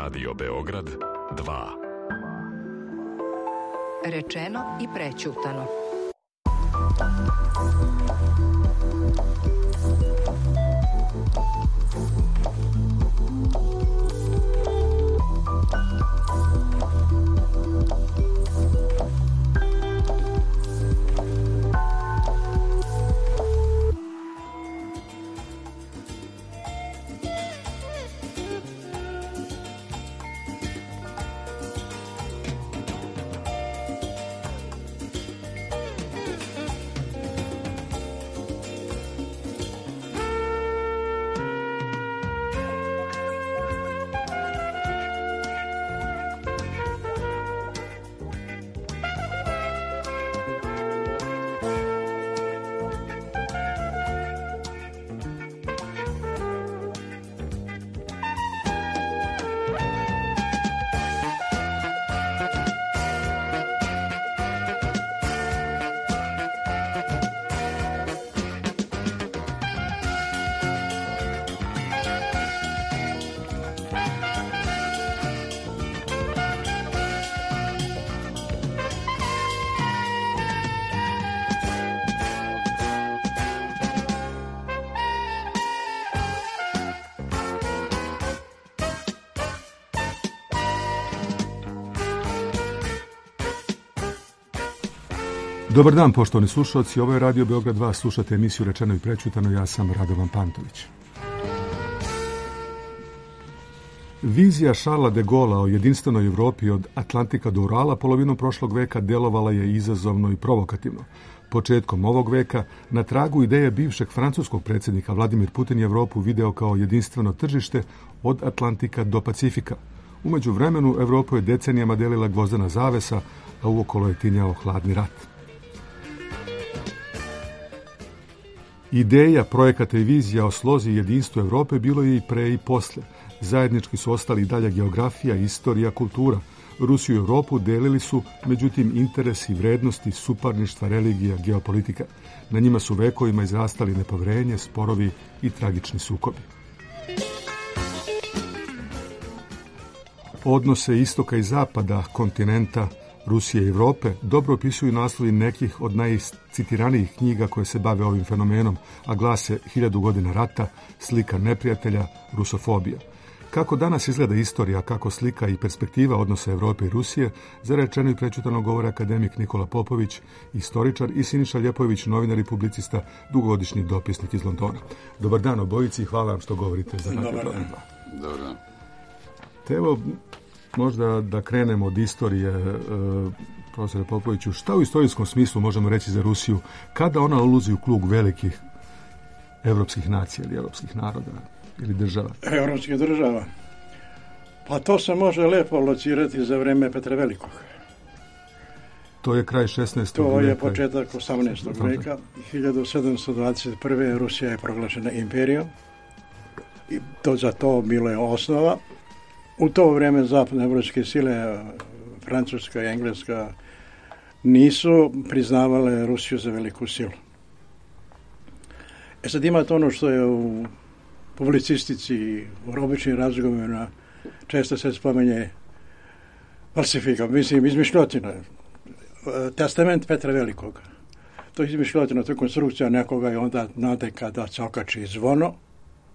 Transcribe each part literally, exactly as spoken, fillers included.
Radio Beograd dva. Rečeno i prećutano. Dobar dan, poštovani slušalci. Ovo je Radio Beograd dva. Slušate emisiju Rečeno i prećutano. Ja sam Radovan Pantović. Vizija Šarla de Gola o jedinstvenoj Evropi od Atlantika do Urala polovinom prošlog veka delovala je izazovno i provokativno. Početkom ovog veka, na tragu ideje bivšeg francuskog predsjednika, Vladimir Putin je Evropu video kao jedinstveno tržište od Atlantika do Pacifika. Umeđu vremenu Evropu je decenijama delila gvozdena zavesa, a uokolo je tinjao hladni rat. Ideja, projekata i vizija o slozi i jedinstvu Evrope bilo je i pre i posle. Zajednički su ostali i dalje geografija, istorija, kultura. Rusiju i Evropu delili su, međutim, interesi, vrednosti, suparništva, religija, geopolitika. Na njima su vekovima izrastali nepoverenje, sporovi i tragični sukobi. Odnose istoka i zapada, kontinenta, Rusije i Evrope dobro opisuju naslovi nekih od najcitiranijih knjiga koje se bave ovim fenomenom, a glase Hiljadu godina rata, Slika neprijatelja, Rusofobija. Kako danas izgleda istorija, kako slika i perspektiva odnosa Evrope i Rusije, za Rečeno i prećutano govore akademik Nikola Popović, istoričar, i Siniša Ljepojević, novinar i publicista, dugogodišnji dopisnik iz Londona. Dobar dan obojici i hvala vam što govorite za Radio Beograd dva. Dobar dan. Te evo, možda da krenemo od istorije, e, profesore Popoviću, šta u istorijskom smislu možemo reći za Rusiju, kada ona ulazi u krug velikih evropskih nacija ili evropskih naroda ili država? Evropskih država? Pa to se može lepo locirati za vreme Petra Velikog. To je kraj šesnaestog To veka. je početak osamnaestog veka. hiljadu sedamsto dvadeset prve. Rusija je proglašena imperijom. I to za to bilo je osnova. U to vrijeme zapadne evropske sile, Francuska i Engleska, nisu priznavale Rusiju za veliku silu. E sad imate ono što je u publicistici, u običnim razgovorima, često se spomenje falsifika, mislim, izmišljotina. Testament Petra Velikog. To je izmišljotina, to je konstrukcija nekoga i onda, znate, kada se okači zvono,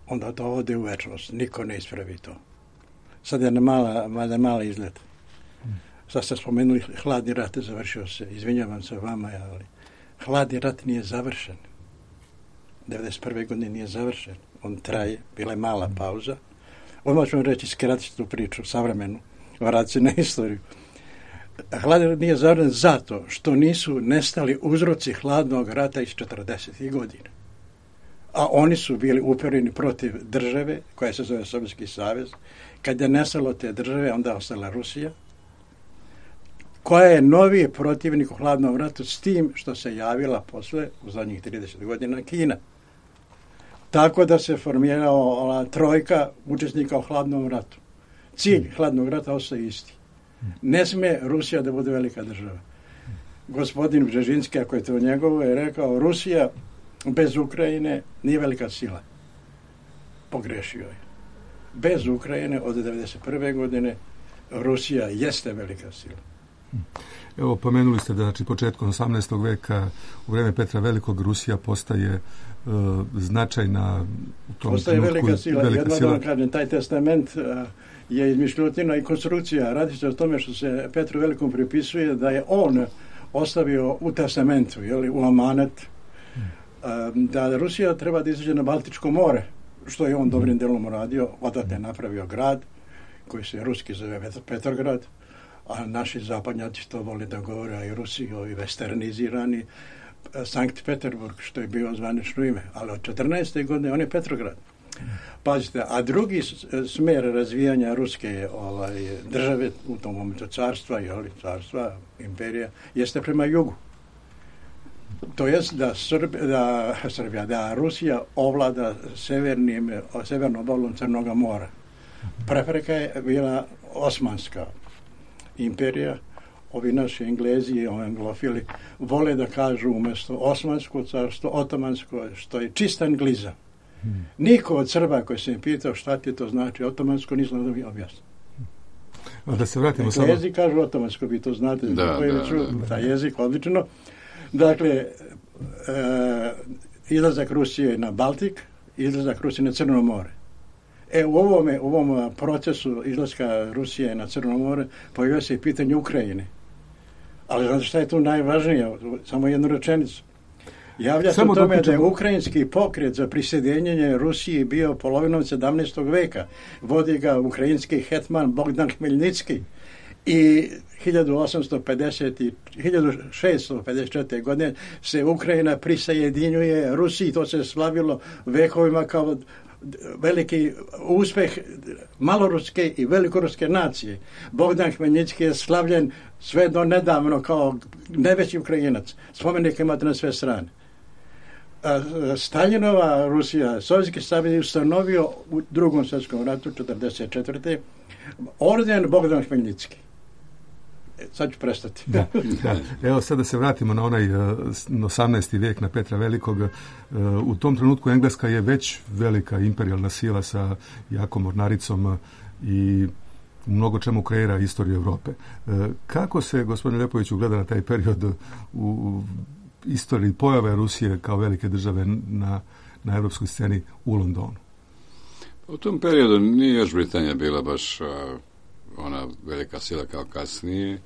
onda to ode u večnost. Niko ne ispravi to. Sad je mala, mala, mala izgled. Sad ste spomenuli hladni rat je završio se. Izvinjavam se vama, ali hladni rat nije završen. devedeset prve godine nije završen. On traje, bila je mala pauza. Odmah ću vam reći, skratiti tu priču, savremenu, vrati na istoriju. Hladni rat nije završen zato što nisu nestali uzroci hladnog rata iz četrdesetih godina. A oni su bili upereni protiv države, koja se zove Sovjetski savez. Kad je nestalo te države, onda ostala Rusija, koja je noviji protivnik u hladnom ratu s tim što se javila posle, u zadnjih trideset godina, Kina. Tako da se formirala trojka učesnika u hladnom ratu. Cilj hladnog rata ostaje isti. Ne sme Rusija da bude velika država. Gospodin Bžežinski, ako je to njegovo, je rekao, Rusija bez Ukrajine nije velika sila. Pogrešio je. bez Ukrajine od devedeset prve godine Rusija jeste velika sila. Evo, pomenuli ste da znači, početkom osamnaestog veka u vreme Petra Velikog Rusija postaje uh, značajna u tom postaje trenutku, velika sila. Velika Jedno sila. da vam kažem, taj testament uh, je izmišljotina i konstrukcija. Radi se o tome što se Petru Velikom pripisuje da je on ostavio u testamentu, jeli, u amanet, uh, da Rusija treba da izađe na Baltičko more, što je on dobrim delom uradio, odatle napravio grad koji se ruski zove Petrograd, a naši zapadnjaci to vole da govore, a i Rusi, ovi westernizirani, Sankt Peterburg, što je bio zvanično ime, ali od četrnaeste godine on je Petrograd. Pazite, a drugi smer razvijanja ruske ovaj, države, u tom momentu carstva, jeli, carstva, imperija, jeste prema jugu. To jest da, Srb, da, Srbija, da Rusija ovlada severnim, severnom obalom Crnoga mora. Prepreka je bila Osmanska imperija. Ovi naši Englezi i anglofili vole da kažu umjesto Osmansko carstvo, Otomansko, što je čist anglizam. Hmm. Niko od Srba koji se mi pitao šta ti to znači Otomansko, nisam da mi objasnio. Da se vratimo dakle, samo... jezik kažu Otomansko, vi to znate, da, da, da, da. taj jezik odlično. Dakle, e, izlazak Rusije na Baltik, izlazak Rusije na Crno more. E, u ovome, u ovom procesu izlaska Rusije na Crno more pojavio se i pitanje Ukrajine. Ali znate šta je tu najvažnije? Samo jednu rečenicu. Javlja se o tome da je ukrajinski pokret za prisjedinjenje Rusiji bio polovinom sedamnaestog veka. Vodi ga ukrajinski hetman Bogdan Hmeljnicki. I hiljadu osamsto pedeset i hiljadu šeststo pedeset četvrte. godine se Ukrajina prisajedinjuje Rusiji. To se slavilo vekovima kao veliki uspeh maloruske i velikoruske nacije. Bogdan Hmeljnicki je slavljen sve do nedavno kao najveći Ukrajinac. Spomenik imate na sve strane. Staljinova Rusija, Sovjetski savez je ustanovio u drugom svjetskom ratu četrdeset četvrte. orden Bogdan Hmeljnicki. Sad ću prestati. Da, da. Evo sad da se vratimo na onaj osamnaesti vijek, na Petra Velikog. U tom trenutku Engleska je već velika imperijalna sila sa jakom mornaricom i u mnogo čemu kreira istoriju Europe. Kako se, gospodine Lepoviću, gleda na taj period u istoriji pojave Rusije kao velike države na, na evropskoj sceni u Londonu? U tom periodu nije još Britanija bila baš ona velika sila kao kasnije.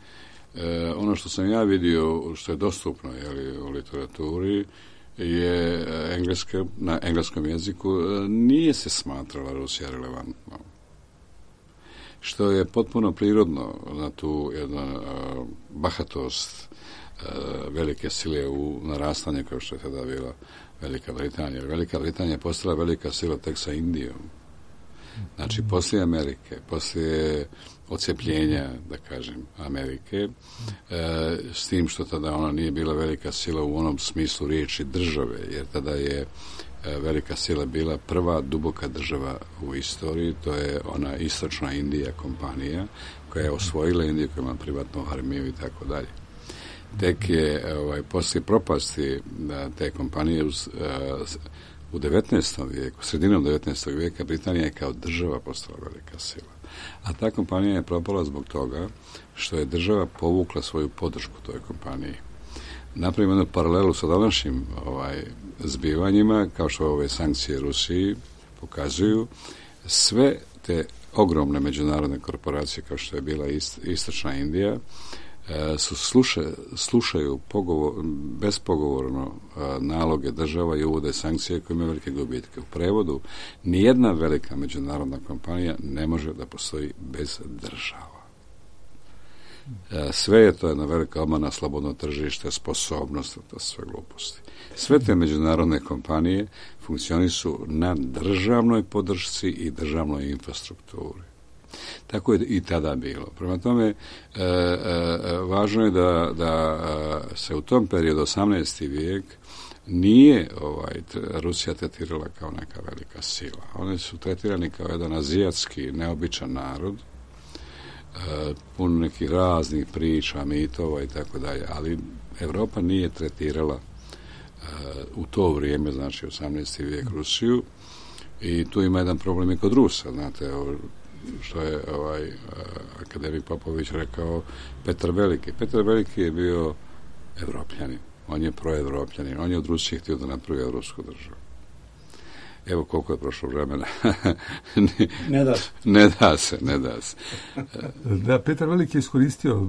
E, ono što sam ja vidio, što je dostupno jeli, u literaturi, je engleska, na engleskom jeziku nije se smatrala Rusija relevantno. Što je potpuno prirodno na tu jednu uh, bahatost uh, velike sile u narastanju kao što je tada bila Velika Britanija. Velika Britanija je postala velika sila tek sa Indijom. Znači, poslije Amerike, poslije odcepljenja, da kažem, Amerike, e, s tim što tada ona nije bila velika sila u onom smislu riječi države, jer tada je e, velika sila bila prva duboka država u istoriji, to je ona istočna Indija kompanija, koja je osvojila Indiju, koja ima privatnu armiju i tako dalje. Tek je, ovaj, poslije propasti da, te kompanije uz, uh, u devetnaestom vijeku, sredinom devetnaestog vijeka, Britanija je kao država postala velika sila. A ta kompanija je propala zbog toga što je država povukla svoju podršku toj kompaniji. Napravimo jednu paralelu sa današnjim ovaj, zbivanjima, kao što ove sankcije Rusiji pokazuju, sve te ogromne međunarodne korporacije, kao što je bila ist, istočna Indija, su sluša, slušaju pogovor, bespogovorno a, naloge država i uvode sankcije koje imaju velike gubitke. U prevodu, nijedna velika međunarodna kompanija ne može da postoji bez država. A, sve je to jedna velika obmana, slobodno tržište, sposobnost, to sve gluposti. Sve te međunarodne kompanije funkcionišu na državnoj podršci i državnoj infrastrukturi. Tako je i tada bilo. Prema tome, e, e, važno je da, da se u tom periodu, osamnaesti vijek, nije ovaj, Rusija tretirala kao neka velika sila. Oni su tretirani kao jedan azijatski, neobičan narod, e, pun nekih raznih priča, mitova i tako dalje, ali Europa nije tretirala e, u to vrijeme, znači osamnaesti vijek, Rusiju, I tu ima jedan problem i kod Rusa, znate, što je ovaj akademik Popović rekao, Petar Veliki. Petar Veliki je bio Evropljanin, on je proevropljanin, on je od Rusije htio da napravi evropsku državu. Evo koliko je prošlo vremena. ne da se. Ne da se, ne da se. Da, Petar Veliki je iskoristio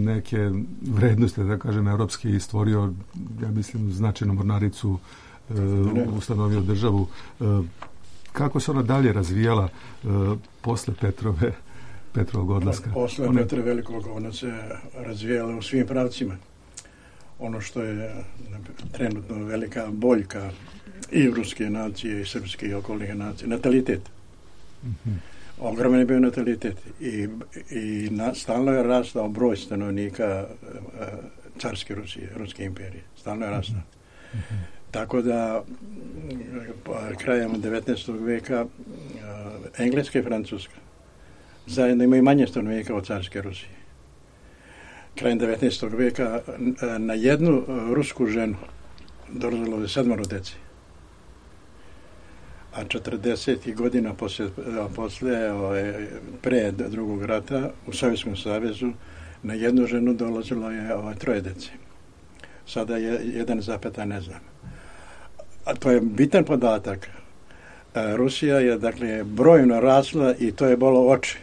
neke vrednosti, da kažem, evropske i stvorio, ja mislim, značajnu mornaricu, uh, ustanovio državu. Uh, kako se ona dalje razvijala uh, posle Petrove, Petrovog odlaska? Posle One... Petra Velikog ona se razvijala u svim pravcima. Ono što je trenutno velika boljka i ruske nacije i srpske i okolnih nacije, natalitet. Mm-hmm. Ogroman je bio natalitet i, i na, stalno je rastao broj stanovnika uh, carske Rusije, Ruske imperije. Stalno je rastao. Mm-hmm. Tako da krajem devetnaestog veka uh, Engleska i Francuska zajedno imaju manje stanovnika od carske Rusije. Krajem devetnaestog veka uh, na jednu uh, rusku ženu dolazilo je sedmoro dece. A četrdesetih godina posle, posle ovaj, pre drugog rata u Sovjetskom savezu na jednu ženu dolazilo je ovaj, troje dece. Sada je jedan zapeta, ne znam. A to je bitan podatak. A Rusija je, dakle, brojno rasla i to je bolo oči.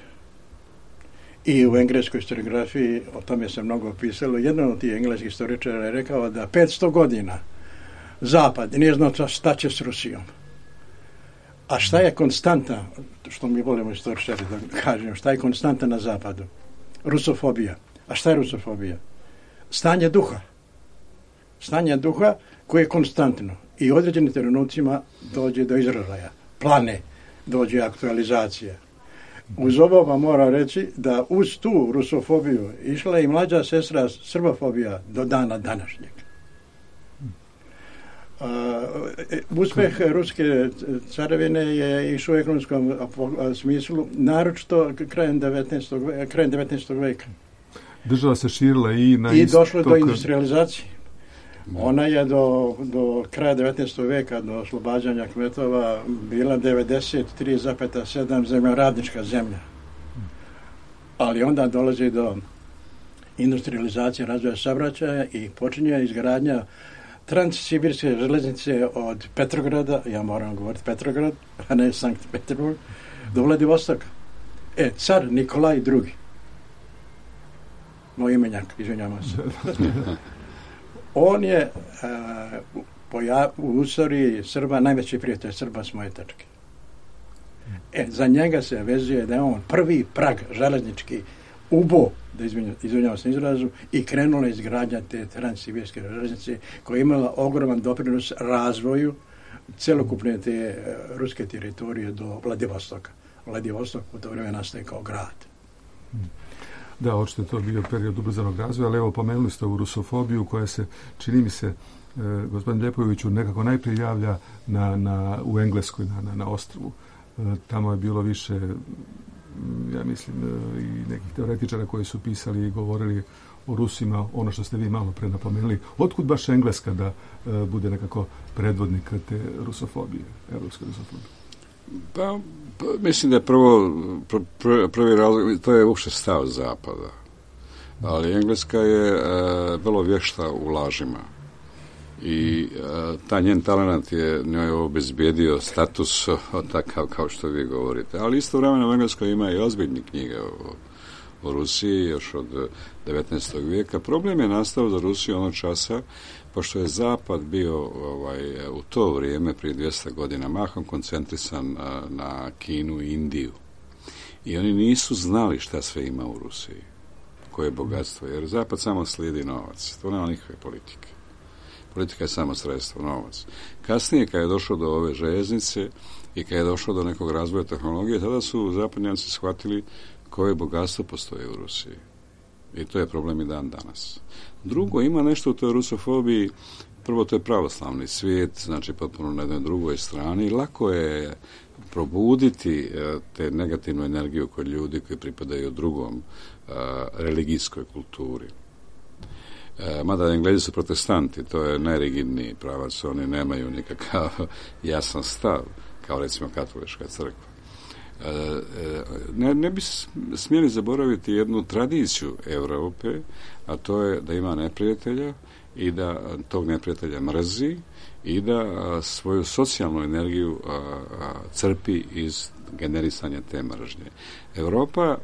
I u engleskoj historiografiji, o tome se mnogo pisalo, jedan od tih engleskih historičara je rekao da petsto godina Zapad nije znao šta će s Rusijom. A šta je konstanta, što mi volimo istoričari da kažem, šta je konstanta na Zapadu? Rusofobija. A šta je rusofobija? Stanje duha. Stanje duha koje je konstantno i u određenim trenucima dođe do izražaja. Plane, dođe aktualizacija. Uz ovo vam mora reći da uz tu rusofobiju išla je i mlađa sestra srbofobija do dana današnjeg. Uh, uspeh ruske carevine je išao u ekonomskom smislu, naročito krajem devetnaestog krajem devetnaestog veka. Država se širila i na I došlo do industrializacije. Ona je do, do kraja devetnaestog veka, do oslobađanja kmetova, bila devedeset tri zarez sedam zemljoradnička zemlja. Ali onda dolazi do industrializacije, razvoja saobraćaja i počinje izgradnja Transsibirske železnice od Petrograda, ja moram govoriti Petrograd, a ne Sankt Peterburg, do Vladivostoka. E, car Nikolaj drugi. Moj imenjak, izvinjavam se. On je uh, poja, u istoriji Srba najveći prijatelj Srba s moje tačke. E, za njega se vezuje da je on prvi prag železnički ubo, da izvinjavam se izrazu, i krenula izgradnja te Transsibirske železnice koja je imala ogroman doprinos razvoju celokupne te uh, ruske teritorije do Vladivostoka. Vladivostok u to vrijeme nastaje kao grad. Da, očito je to bio period ubrzanog razvoja, ali evo pomenuli ste ovu rusofobiju koja se, čini mi se, e, gospodin Ljepojeviću, nekako najprije javlja na, na, u Engleskoj, na, na, na ostrvu. E, tamo je bilo više, ja mislim, e, i nekih teoretičara koji su pisali i govorili o Rusima, ono što ste vi malo pre napomenuli. Otkud baš Engleska da e, bude nekako predvodnik te rusofobije, evropske rusofobije? Pa, pa, mislim da je prvo, pr, pr, prvi razlog, to je uopšte stav Zapada. Ali Engleska je e, vrlo vješta u lažima. I e, ta njen talent je njoj obezbijedio status takav kao što vi govorite. Ali istovremeno u Engleskoj ima i ozbiljne knjige o, o Rusiji još od devetnaestog vijeka. Problem je nastao za Rusiju onog časa pošto je Zapad bio ovaj, u to vrijeme, prije dvjesto godina, mahom koncentrisan a, na Kinu i Indiju. I oni nisu znali šta sve ima u Rusiji, koje bogatstvo, jer Zapad samo slijedi novac. To nema nikakve politike. Politika je samo sredstvo, novac. Kasnije, kad je došlo do ove željeznice i kad je došlo do nekog razvoja tehnologije, tada su zapadnjaci shvatili koje bogatstvo postoje u Rusiji. I to je problem i dan danas. Drugo, ima nešto u toj rusofobiji, prvo to je pravoslavni svijet, znači potpuno na jednoj drugoj strani. Lako je probuditi te negativnu energiju kod ljudi koji pripadaju drugom a, religijskoj kulturi. A, mada Englezi su protestanti, to je najrigidniji pravac, oni nemaju nikakav jasan stav kao recimo katolička crkva. Ne, ne bi smjeli zaboraviti jednu tradiciju Europe, a to je da ima neprijatelja i da tog neprijatelja mrzi i da svoju socijalnu energiju crpi iz generisanja te mržnje. Europa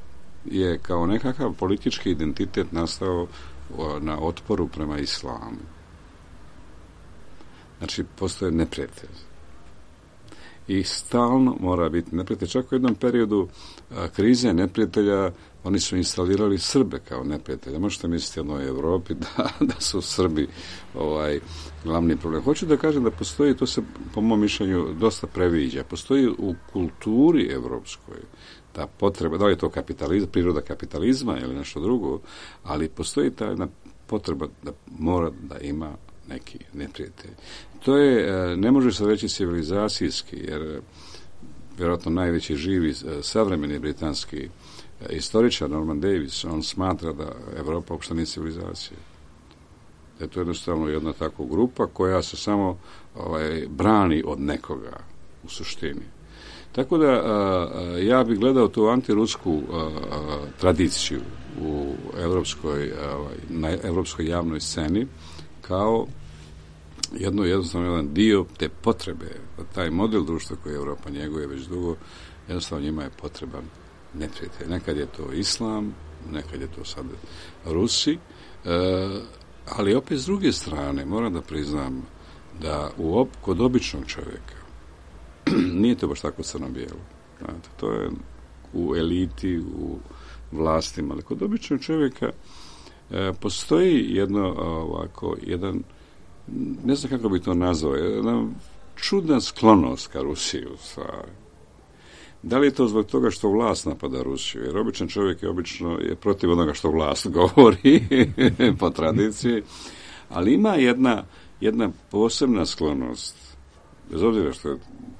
je kao nekakav politički identitet nastao na otporu prema islamu. Znači, postoje neprijatelj. I stalno mora biti neprijatelj. Čak u jednom periodu a, krize neprijatelja oni su instalirali Srbe kao neprijatelja. Možete misliti o jednoj Europi da, da su Srbi ovaj, glavni problem. Hoću da kažem da postoji, to se po mom mišljenju dosta previđa, postoji u kulturi evropskoj ta potreba, da li je to kapitalizam, priroda kapitalizma ili nešto drugo, ali postoji ta jedna potreba da mora da ima neki neprijatelj. To je, ne može se reći civilizacijski, jer vjerojatno najveći živi savremeni britanski istoričar Norman Davis, on smatra da Evropa uopšte nije civilizacija. Da je to jednostavno jedna takva grupa koja se samo ovaj, brani od nekoga u suštini. Tako da a, ja bih gledao tu antirusku a, a, tradiciju u evropskoj, a, na evropskoj javnoj sceni kao jedno jednostavno jedan dio te potrebe, taj model društva koji Evropa njeguje već dugo, jednostavno njima je potreban neprijatelj. Nekad je to islam, nekad je to sad Rusi, e, ali opet s druge strane moram da priznam da u op, kod običnog čovjeka nije to baš tako crno-bijelo. Znate, to je u eliti, u vlastima, ali kod običnog čovjeka e, postoji jedno ovako, jedan, ne znam kako bi to nazvao, jedna čudna sklonost ka Rusiji u stvari. Da li je to zbog toga što vlast napada Rusiju? Jer običan čovjek je obično je protiv onoga što vlast govori po tradiciji, ali ima jedna, jedna posebna sklonost, bez obzira što je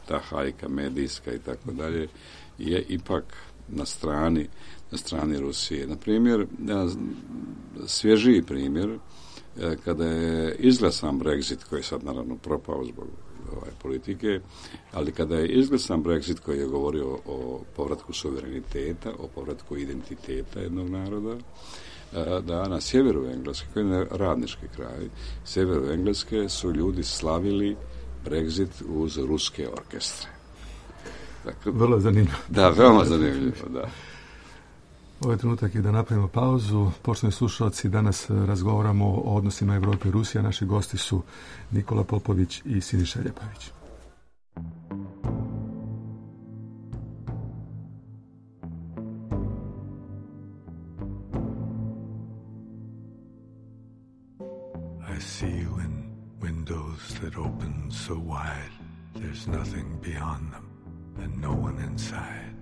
ta hajka medijska i tako dalje, je ipak na strani, na strani Rusije. Na primjer, svježiji primjer, kada je izglasan Brexit, koji je sad naravno propao zbog ovaj, politike, ali kada je izglasan Brexit koji je govorio o povratku suvereniteta, o povratku identiteta jednog naroda, da na sjeveru Engleske, koji je radnički kraj, sjeveru Engleske su ljudi slavili Brexit uz ruske orkestre. Dakle, vrlo zanimljivo. Da, veoma zanimljivo, da. Ovaj trenutak je da napravimo pauzu. Poštovani slušalci, danas razgovaramo o odnosima Evrope i Rusije. Naši gosti su Nikola Popović i Siniša Ljepović. I see you in windows that open so wide, there's nothing beyond them and no one inside.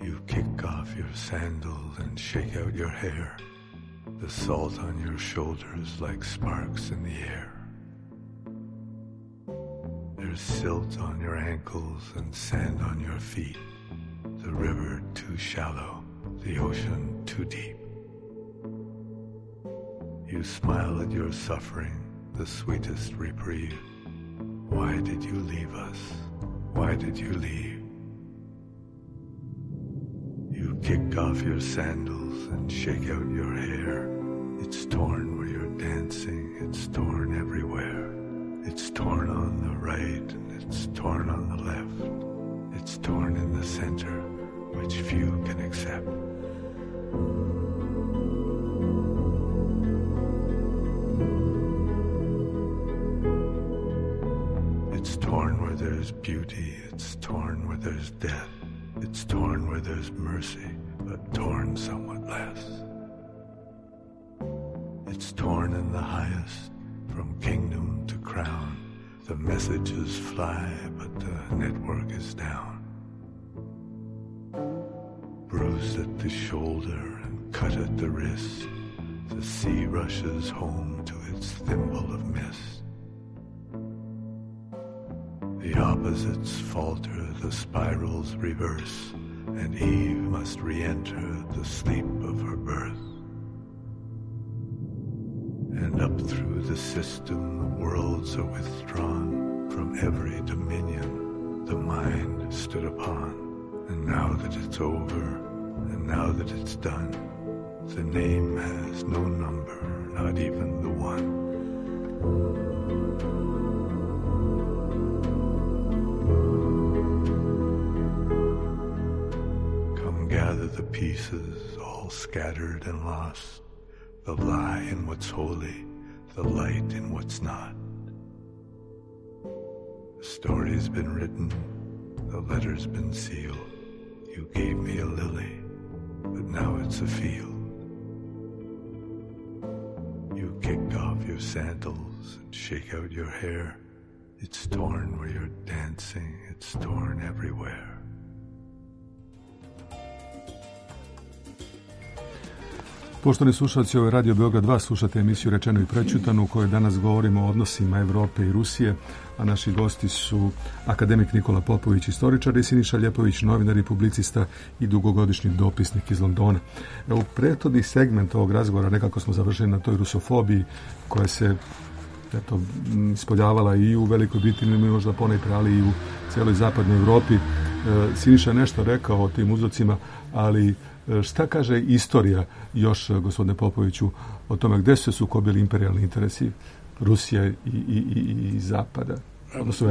You kick off your sandals and shake out your hair, the salt on your shoulders like sparks in the air. There's silt on your ankles and sand on your feet, the river too shallow, the ocean too deep. You smile at your suffering, the sweetest reprieve. Why did you leave us? Why did you leave? You kick off your sandals and shake out your hair. It's torn where you're dancing, it's torn everywhere. It's torn on the right and it's torn on the left. It's torn in the center, which few can accept. It's torn where there's beauty, it's torn where there's death. It's torn where there's mercy, but torn somewhat less. It's torn in the highest, from kingdom to crown. The messages fly, but the network is down. Bruised at the shoulder and cut at the wrist, the sea rushes home to its thimble of mist. The opposites falter, the spirals reverse, and Eve must re-enter the sleep of her birth. And up through the system, the worlds are withdrawn from every dominion the mind stood upon. And now that it's over, and now that it's done, the name has no number, not even the one. Come gather the pieces, all scattered and lost, the lie in what's holy, the light in what's not. The story's been written, the letter's been sealed. You gave me a lily, but now it's a field. You kick off your sandals and shake out your hair. It's torn where you're dancing, it's torn everywhere. Poštovani slušalci, ovo je Radio Beograd dva, slušate emisiju Rečeno i prečutano u kojoj danas govorimo o odnosima Evrope i Rusije, a naši gosti su akademik Nikola Popović, istoričar, i Siniša Ljepović, novinar i publicista i dugogodišnji dopisnik iz Londona. U prethodni segment ovog razgovora nekako smo završili na toj rusofobiji koja se eto, ispoljavala i u Velikoj Britaniji, možda ponajpre, ali i u cijeloj zapadnoj Evropi. Siniša nešto rekao o tim uzrocima, ali šta kaže istorija još, gospodine Popoviću, o tome gdje su se sukobili imperijalni interesi Rusije i, i, i, i Zapada?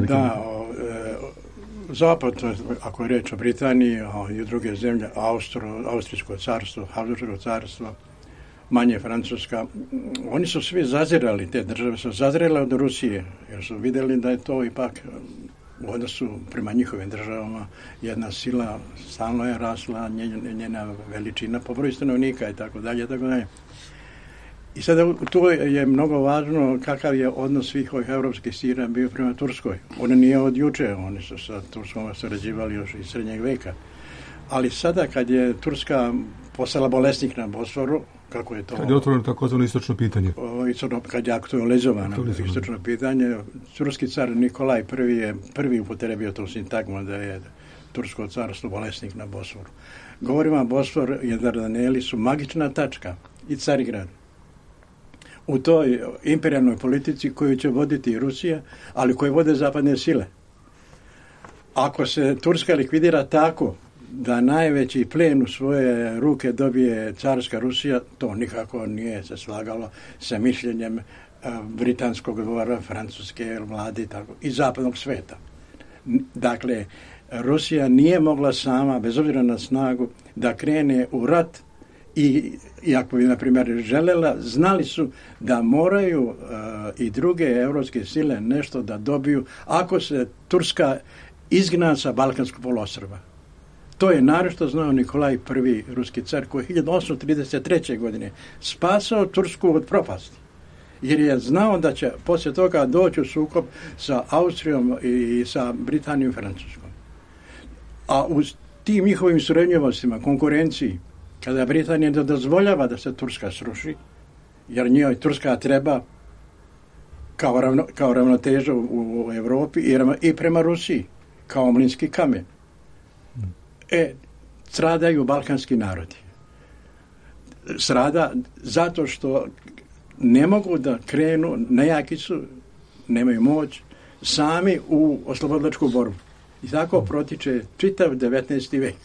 Da, o, e, Zapad, ako je reč o Britaniji o, i druge zemlje, Austro, Austrijsko carstvo, Habsburško carstvo, manje Francuska, oni su svi zazirali, te države su zazirale od Rusije, jer su vidjeli da je to ipak u odnosu prema njihovim državama jedna sila, stalno je rasla njena veličina po broju stanovnika i tako dalje, tako dalje. I sada tu je mnogo važno kakav je odnos svih ovih evropskih sila bio prema Turskoj. Oni nije od juče, oni su sa Turskom sarađivali još iz srednjeg veka. Ali sada kad je Turska postala bolesnik na Bosforu, kako je to... Kad je otvoreno takozvano istočno pitanje. O, kad je aktualizovano istočno pitanje, turski car Nikolaj prvi je prvi upotrebio tu sintagmu da je tursko carstvo bolesnik na Bosforu. Govorimo, Bosfor i Dardaneli su magična tačka i Carigrad u toj imperijalnoj politici koju će voditi Rusija, ali koju vode zapadne sile. Ako se Turska likvidira tako da najveći plen u svoje ruke dobije carska Rusija, to nikako nije se slagalo sa mišljenjem uh, britanskog dvora, francuske vlade tako, i zapadnog sveta. Dakle, Rusija nije mogla sama, bez obzira na snagu, da krene u rat i, i ako bi, na primjer, želela, znali su da moraju uh, i druge evropske sile nešto da dobiju ako se Turska izgna sa Balkanskog poluostrva. To je naročito znao Nikolaj prvi ruski car koji je hiljadu osamsto trideset treće. godine spasao Tursku od propasti. Jer je znao da će poslije toga doći u sukob sa Austrijom i sa Britanijom i Francuskom. A u tim njihovim srednjivostima, konkurenciji, kada Britanija ne dozvoljava da se Turska sruši, jer njoj Turska treba kao, ravno, kao ravnoteža u, u Evropi i, i prema Rusiji, kao mlinski kamen. E, stradaju balkanski narodi. Strada zato što ne mogu da krenu, nejaki su, nemaju moć, sami u oslobodilačku borbu. I tako protiče čitav devetnaesti vek.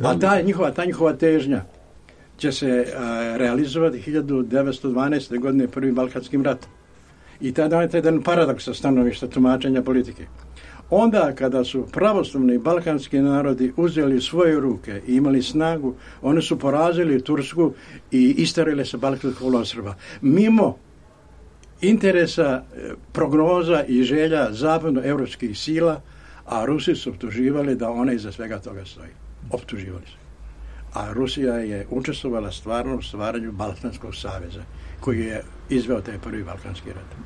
A ta njihova, ta njihova težnja će se a, realizovati hiljadu devetsto dvanaeste. godine prvim Balkanskim ratom. I tada je jedan paradoks sa stanovišta tumačenja politike. Onda kada su pravoslavni balkanski narodi uzeli svoje ruke i imali snagu, oni su porazili Tursku i isterili se Balkanskog poluostrva. Mimo interesa, prognoza i želja zapadnoevropskih sila, a Rusi su optuživali da ona iza svega toga stoji. Optuživali su. A Rusija je učestvovala stvarno u stvaranju Balkanskog saveza, koji je izveo taj prvi Balkanski rat.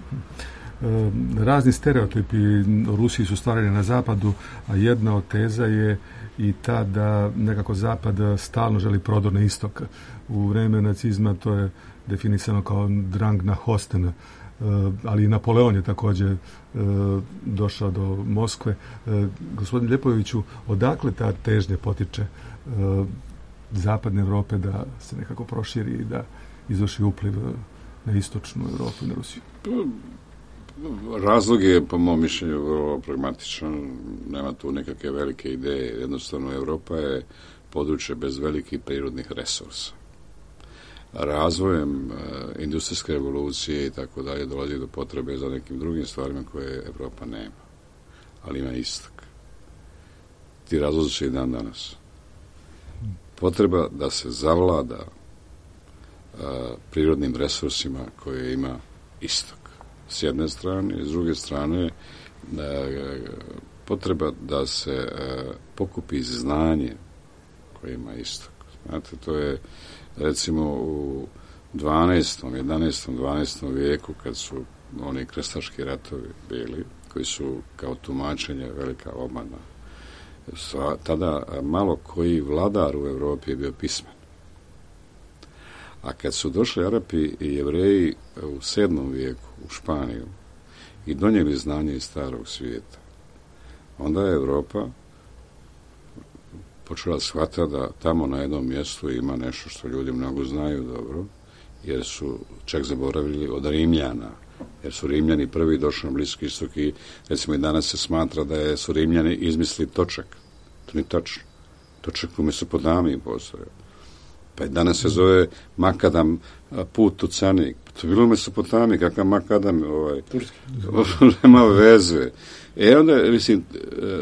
Razni stereotipi o Rusiji su stvarani na zapadu, a jedna od teza je i ta da nekako zapad stalno želi prodor na istok. U vreme nacizma to je definisano kao drang na Hosten, ali i Napoleon je također došao do Moskve. Gospodin Ljepoviću, odakle ta težnja potiče zapadne Evrope da se nekako proširi i da izvrši upliv na istočnu Europu i na Rusiju? Razlog je, po mom mišljenju, vrlo pragmatičan. Nema tu nekakve velike ideje. Jednostavno, Europa je područje bez velikih prirodnih resursa. Razvojem e, industrijske revolucije i tako dalje dolazi do potrebe za nekim drugim stvarima koje Europa nema. Ali ima istok. Ti razlozi su i dan danas. Potreba da se zavlada a, prirodnim resursima koje ima istok. S jedne strane, s druge strane a, potreba da se a, pokupi znanje koje ima istok. Znate, to je recimo u dvanaestom, jedanaestom, dvanaestom vijeku kad su oni krstaški ratovi bili, koji su kao tumačenje velika obmana. Tada malo koji vladar u Europi je bio pismen. A kad su došli Arapi i Jevreji u sedmom vijeku u Španiju i donijeli znanje iz starog svijeta, onda je Europa počela shvatiti da tamo na jednom mjestu ima nešto što ljudi mnogo znaju dobro, jer su čak zaboravili od Rimljana, jer su Rimljani prvi došli na Bliski istok i recimo i danas se smatra da je, su Rimljani izmislili točak. To nije tačno. Točak u Mesopodamiji postoje. Pa i danas se zove makadam put u Canik. To je bilo u Mesopodamiji, kakav makadam, ovaj, nema veze. E onda, mislim,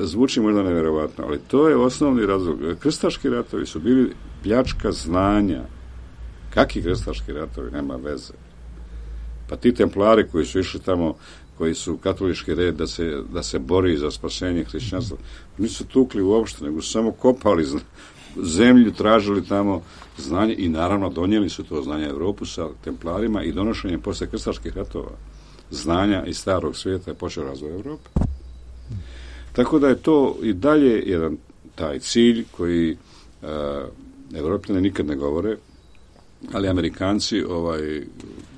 zvuči možda nevjerovatno, ali to je osnovni razlog. Krstaški ratovi su bili pljačka znanja. Kakvi krstaški ratovi? Nema veze. Pa ti templari koji su išli tamo, koji su katolički red da se, da se bori za spasenje hrišćanstva, nisu tukli uopšte, nego su samo kopali zemlju, tražili tamo znanje i naravno donijeli su to znanje Europu sa templarima i donošenjem posle krstaških ratova znanja iz starog svijeta je počeo razvoj Europe. Tako da je to i dalje jedan taj cilj koji uh, Evropljani nikad ne govore, ali Amerikanci ovaj,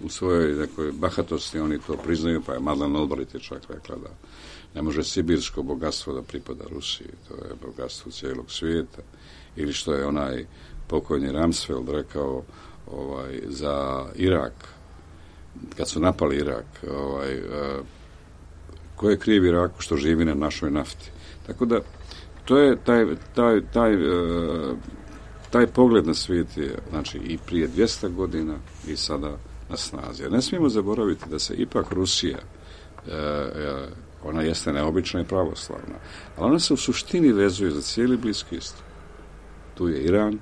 u svojoj nekoj bahatosti oni to priznaju, pa je Madeleine Albright je čak rekla da ne može sibirsko bogatstvo da pripada Rusiji, to je bogatstvo cijelog svijeta. Ili što je onaj pokojni Rumsfeld rekao ovaj, za Irak, kad su napali Irak, ovaj, uh, ko je kriv Iraku što živi na našoj nafti. Tako da, to je taj, taj, taj, uh, taj pogled na svijet je, znači, i prije dvjesto godina i sada na snazi. Ne smijemo zaboraviti da se ipak Rusija, uh, uh, ona jeste neobična i pravoslavna, ali ona se u suštini vezuje za cijeli Bliski istok. Tu je Iran,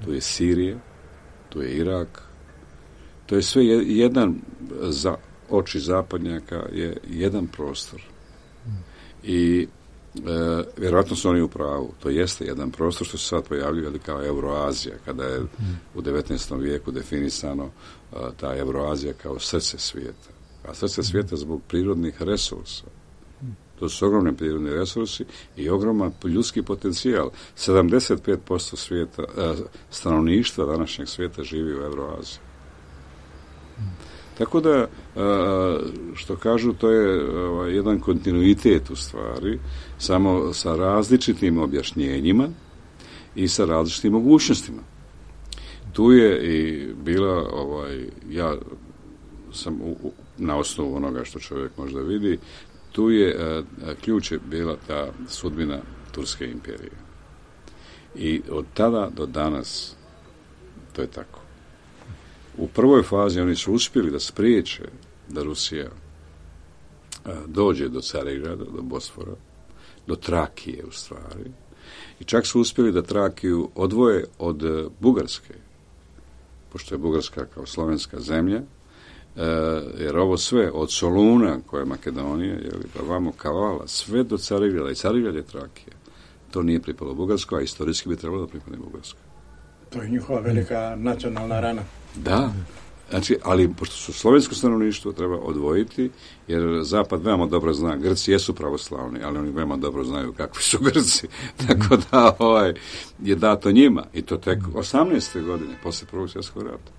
tu je Sirija, tu je Irak, to je sve jedan, za oči zapadnjaka je jedan prostor. I e, vjerojatno su oni u pravu. To jeste jedan prostor što se sad pojavljuje kao Euroazija, kada je u devetnaestom vijeku definisano a, ta Euroazija kao srce svijeta. A srce svijeta zbog prirodnih resursa. To su ogromni prirodni resursi i ogroman ljudski potencijal. sedamdeset pet posto svijeta, a, stanovništva današnjeg svijeta živi u Euroaziji. Tako da, što kažu, to je jedan kontinuitet u stvari, samo sa različitim objašnjenjima i sa različitim mogućnostima. Tu je i bila, ovaj, ja sam u, u, na osnovu onoga što čovjek možda vidi, tu je a, ključ je bila ta sudbina Turske imperije. I od tada do danas to je tako. U prvoj fazi oni su uspjeli da spriječe da Rusija a, dođe do Carigrada, do Bosfora, do Trakije u stvari. I čak su uspjeli da Trakiju odvoje od uh, Bugarske, pošto je Bugarska kao slovenska zemlja, uh, jer ovo sve od Soluna, koja je Makedonija, jeli, pa vamo Kavala, sve do Carigrada, i Carigrad je Trakija. To nije pripalo Bugarsko, a istorijski bi trebalo da pripadne Bugarsko. To je njihova velika nacionalna rana. Da, znači, ali pošto su slovensko stanovništvo treba odvojiti, jer Zapad veoma dobro zna, Grci jesu pravoslavni, ali oni veoma dobro znaju kakvi su Grci, tako da ovaj, je dato njima, i to tek osamnaeste godine, posle Prvog svjetskog rata.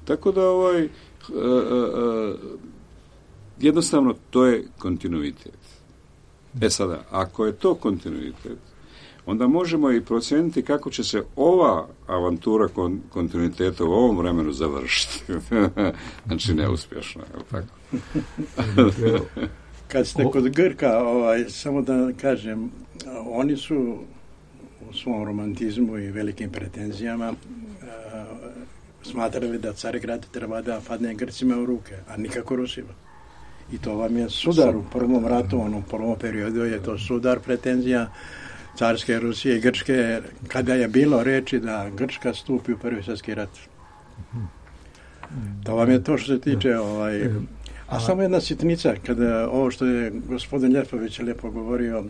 Tako da ovaj, uh, uh, jednostavno to je kontinuitet. E sada, ako je to kontinuitet, onda možemo i procijeniti kako će se ova avantura kon, kontinuiteta u ovom vremenu završiti. Znači, neuspješno, je li tako? Kad ste kod Grka, ovaj, samo da kažem, oni su u svom romantizmu i velikim pretenzijama uh, smatrali da Carigrad treba da padne Grcima u ruke, a nikako Rusima. I to vam je sudar u prvom ratu, ono, u prvom periodu je to sudar pretenzija carske Rusije i Grčke, kada je bilo reči da Grčka stupi u prvi svjetski rat. To vam je to što se tiče ovaj... A samo jedna sitnica, kada ovo što je gospodin Ljepović lijepo govorio, uh,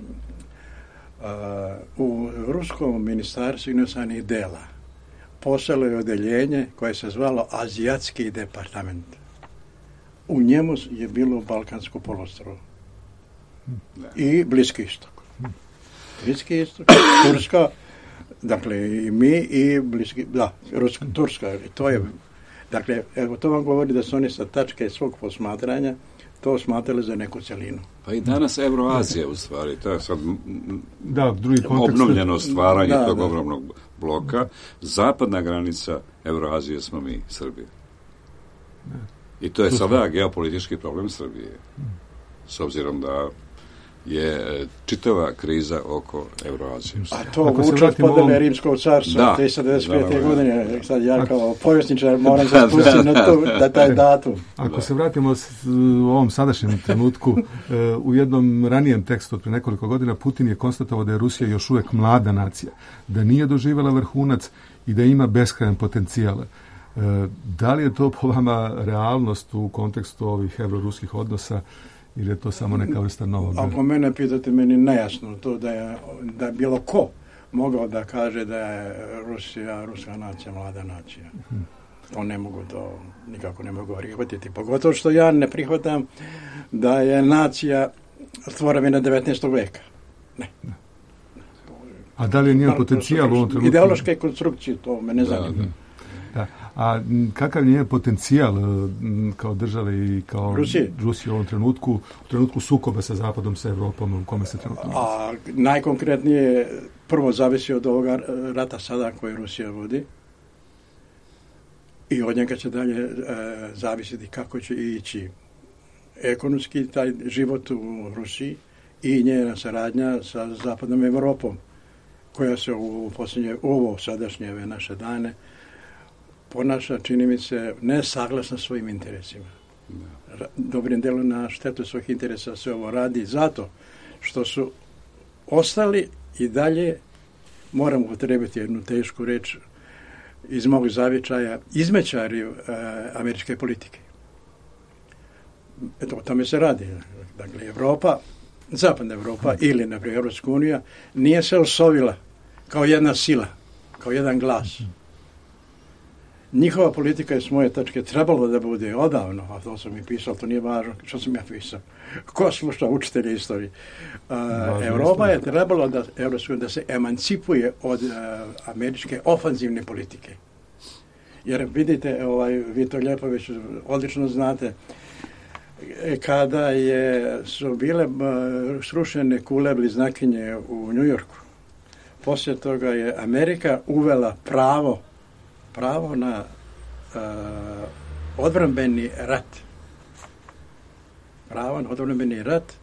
u Ruskom ministarstvu inostranih dela poslalo je odeljenje koje se zvalo Azijatski departament. U njemu je bilo Balkansko poloostrvo i Bliski istok. Bliski istok, Turska, dakle i mi i Bliski, da, Ruska, Turska, to je, dakle, evo to vam govori da su oni sa tačke svog posmatranja to smatrali za neku celinu. Pa i danas Euroazija u stvari, to je sad da, drugi kontekst, obnovljeno stvaranje da, tog da. ogromnog bloka. Zapadna granica Euroazije smo mi, Srbije. I to je sada geopolitički problem Srbije. S obzirom da je čitava kriza oko Euroazije. A to vuče od podele ovom... Rimskog carstva, tristo devedeset pete. godine. Sad ja kao povjesničar moram se spustiti na to, da taj datum. Ako da. se vratimo u ovom sadašnjem trenutku, u jednom ranijem tekstu od pre nekoliko godina Putin je konstatovao da je Rusija još uvijek mlada nacija, da nije doživjela vrhunac i da ima beskrajan potencijal. Da li je to po vama realnost u kontekstu ovih evroruskih odnosa ili je to samo neka vrsta novog? Ako mene pitate, meni nejasno to da je, da je bilo ko mogao da kaže da je Rusija, ruska nacija, mlada nacija. Hmm. To ne mogu, to nikako ne mogu prihvatiti. Pogotovo što ja ne prihvatam da je nacija stvorena devetnaestog veka. Ne. ne. A da li je njen potencijal u ovom trenutku? Ideološke konstrukcije, to me ne zanima. Da, da. Da. A kakav je potencijal kao države i kao Rusije, Rusije u ovom trenutku, u trenutku sukoba sa Zapadom, sa Evropom, u kome se trenutno nalazi? A najkonkretnije prvo zavisi od ovoga rata sada koje Rusija vodi i od njega će dalje e, zavisiti kako će ići ekonomski taj život u Rusiji i njena saradnja sa Zapadnom Evropom koja se u posljednje, ovo sadašnje ove naše dane ponaša, čini mi se, nesaglasno svojim interesima. Dobrim delom na štetu svojih interesa se ovo radi zato što su ostali i dalje, moram upotrebiti jednu tešku reč iz mog zavičaja, izmećari e, američke politike. Eto, o tome se radi. Dakle, Evropa, Zapadna Evropa ili, na primjer, Europska unija nije se osovila kao jedna sila, kao jedan glas. Njihova politika je s moje tačke trebalo da bude odavno, a to sam i pisao, to nije važno što sam ja pisao. Ko sluša učitelje istorije? Uh, Europa je trebalo da, da se emancipuje od uh, američke ofanzivne politike. Jer vidite, ovaj, vi to Ljepović odlično znate, kada je, su bile uh, srušene kule bliznakinje u Njujorku, poslije toga je Amerika uvela pravo pravo na uh, odbrambeni rat. Pravo na odbrambeni rat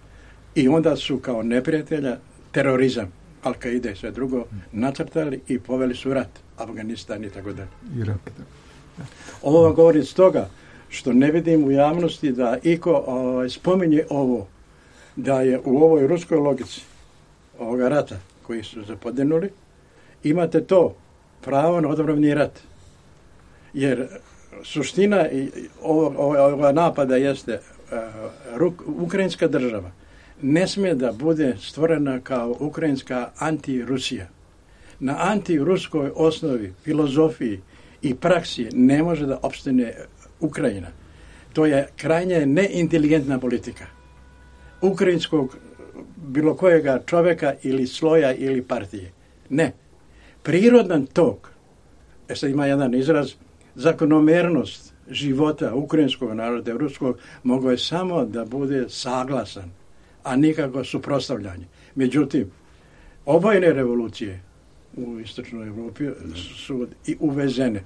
i onda su kao neprijatelja terorizam, Al-Qaida i sve drugo nacrtali i poveli su rat. Afganistan i tako dalje. Ovo vam govorim stoga što ne vidim u javnosti da iko ovaj, spominje ovo, da je u ovoj ruskoj logici ovoga rata koji su zapodenuli, imate to pravo na odbrambeni rat. Jer suština ovoga napada jeste uh, ukrajinska država ne smije da bude stvorena kao ukrajinska anti-Rusija. Na anti-ruskoj osnovi, filozofiji i praksi ne može da opstane Ukrajina. To je krajnje neinteligentna politika ukrajinskog bilo kojega čovjeka ili sloja ili partije. Ne. Prirodan tok, e sad ima jedan izraz, zakonomernost života ukrajinskog naroda i ruskog mogao je samo da bude saglasan, a nikako suprotstavljanje. Međutim, obojene revolucije u istočnoj Evropi su i uvezene.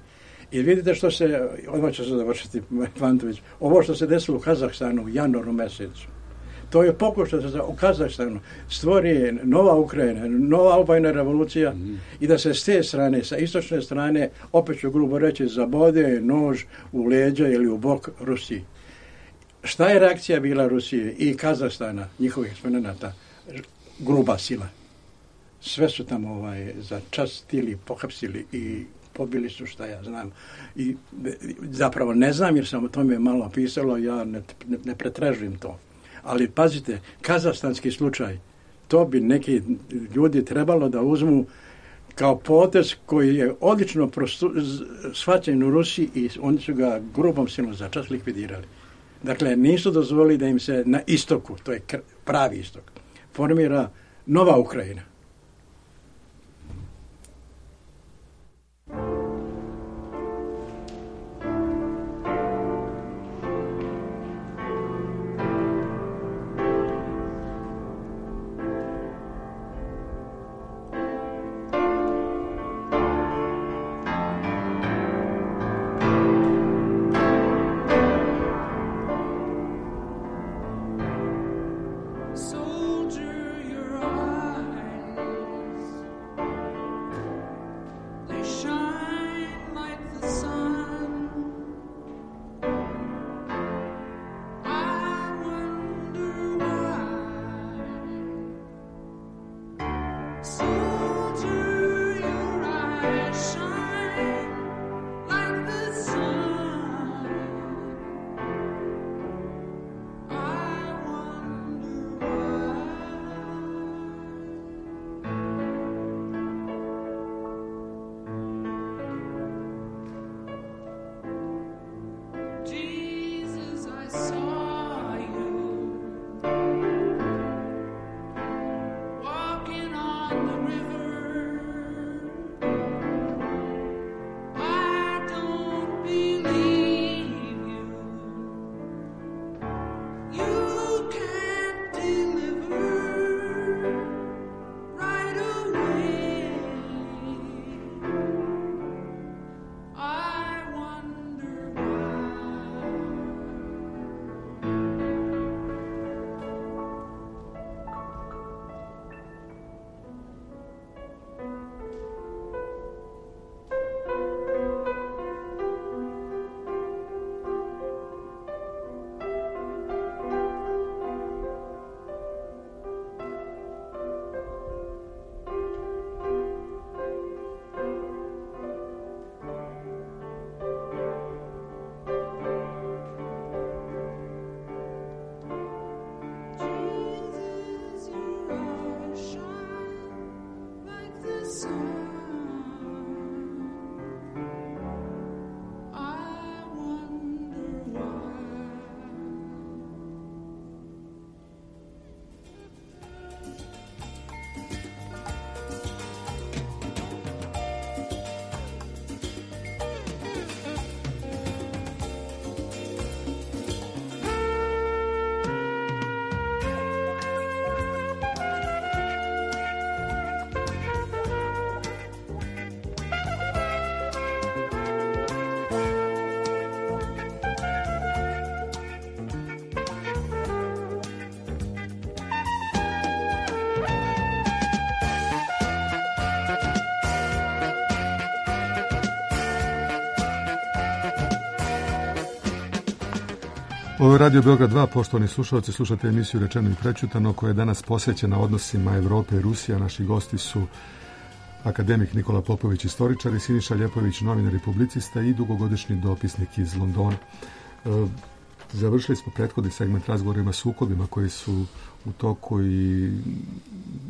I vidite što se, odmah će se završiti, Fantović, ovo što se desilo u Kazahstanu u januaru mesecu, to je pokušaj da se u Kazahstanu stvori nova Ukrajina, nova obojna revolucija mm. i da se s te strane, sa istočne strane, opet ću grubo reći, zabode nož u leđa ili u bok Rusiji. Šta je reakcija bila Rusije i Kazahstana, njihovih eksponenata? Gruba sila. Sve su tamo ovaj, začastili, pohapsili i pobili su, šta ja znam. I zapravo ne znam, jer sam o tome malo pisalo, ja ne, ne, ne pretražujem to. Ali pazite, kazahstanski slučaj, to bi neki ljudi trebalo da uzmu kao potez koji je odlično prostu, shvaćen u Rusiji i oni su ga grubom silom začas likvidirali. Dakle, nisu dozvolili da im se na istoku, to je pravi istok, formira nova Ukrajina. Ovo je Radio Beograd dva, poštovani slušalci, slušate emisiju Rečeno i prećutano koja je danas posvećena odnosima Evrope i Rusije. Naši gosti su akademik Nikola Popović, istoričar, i Siniša Ljepović, novinar i publicista i dugogodišnji dopisnik iz Londona. E, završili smo prethodni segment razgovorima sukobima koji su u toku i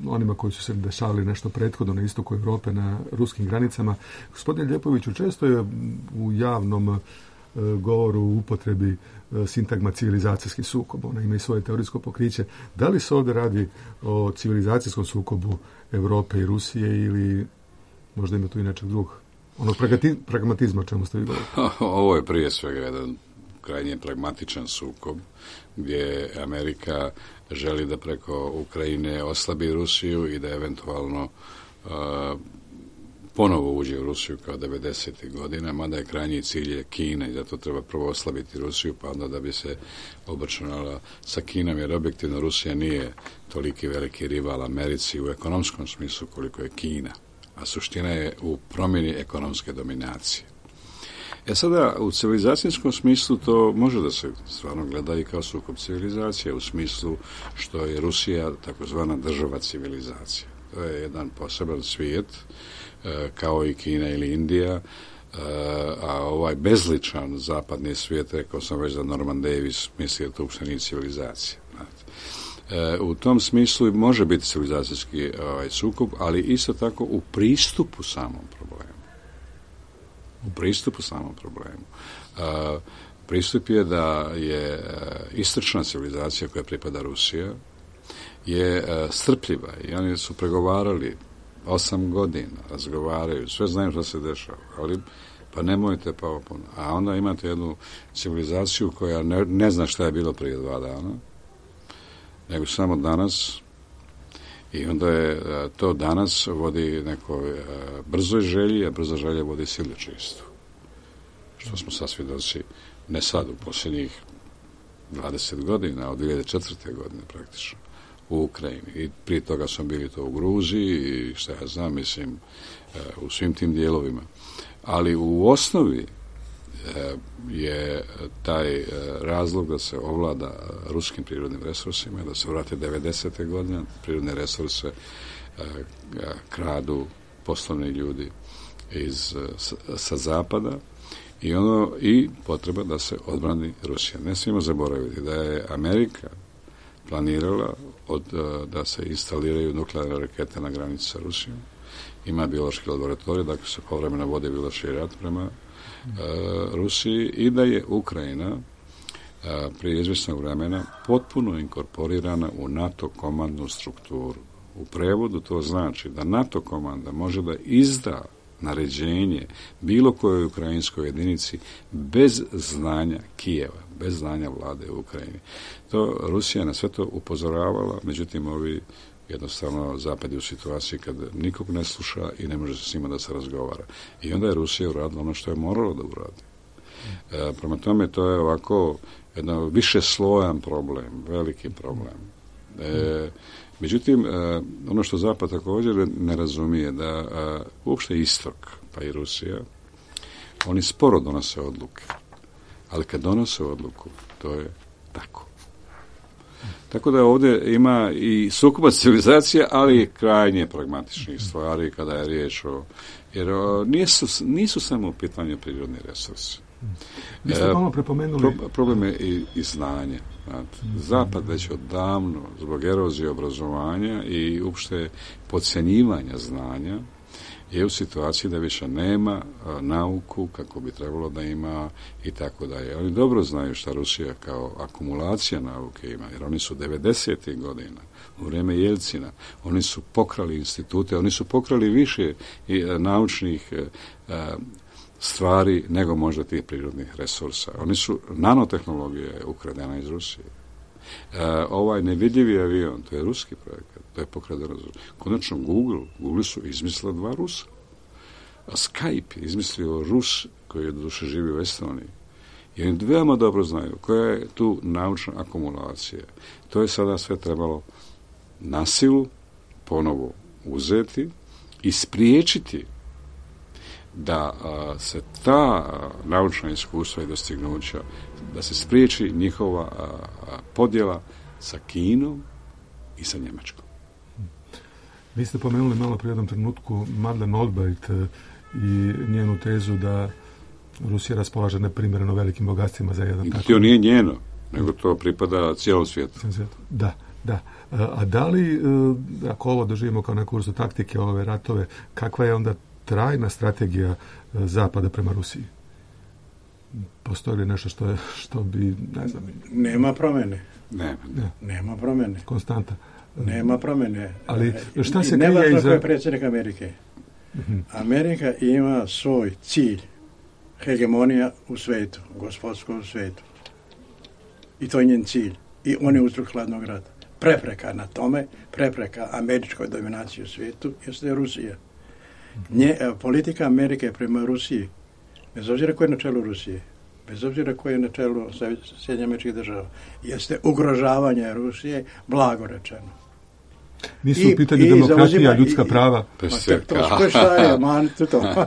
onima koji su se dešavali nešto prethodno na istoku Evrope, na ruskim granicama. Gospodine Ljepoviću, često je u javnom govoru u upotrebi sintagma civilizacijski sukob. Ona ima i svoje teorijsko pokriće. Da li se ovdje radi o civilizacijskom sukobu Evrope i Rusije ili možda ima tu i nečeg drugog? Ono pragmatizma o čemu ste vi govorili? Ovo je prije svega jedan krajnje pragmatičan sukob, gdje Amerika želi da preko Ukrajine oslabi Rusiju i da eventualno uh, ponovo uđe u Rusiju kao devedesetih godina, mada je krajnji cilj je Kina i zato treba prvo oslabiti Rusiju, pa onda da bi se obračunala sa Kinom, jer objektivno Rusija nije toliki veliki rival Americi u ekonomskom smislu koliko je Kina, a suština je u promjeni ekonomske dominacije. E sada, u civilizacijskom smislu to može da se stvarno gleda i kao sukob civilizacije, u smislu što je Rusija takozvana država civilizacija. To je jedan poseban svijet, kao i Kina ili Indija, a ovaj bezličan zapadni svijet, rekao sam već da Norman Davis misli da to uopšte nije civilizacija. U tom smislu može biti civilizacijski ovaj, sukob, ali isto tako u pristupu samom problemu. U pristupu samom problemu. Pristup je da je istočna civilizacija koja pripada Rusija je strpljiva i oni su pregovarali osam godina, razgovaraju, sve znaju što se dešava, ali pa nemojte pa opon. A onda imate jednu civilizaciju koja ne, ne zna šta je bilo prije dva dana, nego samo danas, i onda je to danas vodi nekoj brzoj želji, a brza želja vodi siledžijstvu. Što smo sad svjedoci, ne sad, u posljednjih dvadeset godina, od dvije hiljade četvrte godine praktično, u Ukrajini. I prije toga smo bili to u Gruziji i šta ja znam, mislim, u svim tim dijelovima. Ali u osnovi je taj razlog da se ovlada ruskim prirodnim resursima, da se vrate devedesete godine, prirodne resurse kradu poslovni ljudi iz, sa zapada i ono i potreba da se odbrani Rusija. Ne smijemo zaboraviti da je Amerika planirala od, da se instaliraju nuklearne rakete na granici sa Rusijom. Ima biološki laboratorij, dakle se povremeno vode biološki rat prema uh, Rusiji i da je Ukrajina uh, prije izvjesnog vremena potpuno inkorporirana u NATO komandnu strukturu. U prevodu to znači da NATO komanda može da izda naređenje bilo kojoj ukrajinskoj jedinici bez znanja Kijeva, bez znanja vlade u Ukrajini. To Rusija na sve to upozoravala, međutim ovi jednostavno zapad je u situaciji kad nikog ne sluša i ne može se s njima da se razgovara. I onda je Rusija uradila ono što je morala da uradi. E, prema tome to je ovako jedan više slojan problem, veliki problem. E, međutim, e, ono što zapad također ne razumije da e, uopšte istok, pa i Rusija, oni sporo donose odluke. Ali kad donose odluku, to je tako. Tako da ovdje ima i sukoba civilizacija, ali i krajnje pragmatičnih stvari kada je riječ o... Jer o, nisu, nisu samo u pitanju prirodni resursi. Vi ste malo prepomenuli... Pro, problem je i, i znanje. Zapad već odavno, zbog erozije obrazovanja i uopšte podcjenjivanja znanja, je u situaciji da više nema a, nauku kako bi trebalo da ima i tako dalje. Oni dobro znaju šta Rusija kao akumulacija nauke ima, jer oni su devedesetih godina, u vrijeme Jelcina, oni su pokrali institute, oni su pokrali više i, a, naučnih a, stvari nego možda tih prirodnih resursa. Oni su, nanotehnologija je ukradena iz Rusije. E, ovaj nevidljivi avion, to je ruski projekat, to je pokradeno. Konačno Google, Google su izmislila dva Rusa. A Skype je izmislio Rus koji je doduše živi u Estoniji. I oni veoma dobro znaju koja je tu naučna akumulacija. To je sada sve trebalo na silu ponovo uzeti i spriječiti da a, se ta a, naučna iskustva i dostignuća, da se spriječi njihova a, a, podjela sa Kinom i sa Njemačkom. Vi ste pomenuli malo prije jednom trenutku Madeleine Albright i njenu tezu da Rusija raspolaže neprimjereno velikim bogatstvima za jedan tako... To nije njeno, nego to pripada cijelom svijetu. Da, da. A da li, ako ovo doživimo kao neku vrstu taktike, ove ratove, kakva je onda trajna strategija Zapada prema Rusiji? Postoji li nešto što, je, što bi, ne znam... Nema promjene. Nema. Ne. Nema promjene. Konstanta. Nema promjene. Ali šta se krije krije iza... iza... je predsjednik Amerike. Uh-huh. Amerika ima svoj cilj. Hegemonija u svijetu, gospodstvo u svijetu. I to je njen cilj. I on je uzrok hladnog rata. Prepreka na tome, prepreka američkoj dominaciji u svijetu, jeste Rusija. Nje, politika Amerike prema Rusiji, bez obzira ko je na čelu Rusije, bez obzira ko je na čelu Sjedinjenih Američkih Država, jeste ugrožavanje Rusije, blago rečeno. Nisu u pitanju I, demokratija, i ljudska i, prava. Ma, to, to šta je, man, to, to.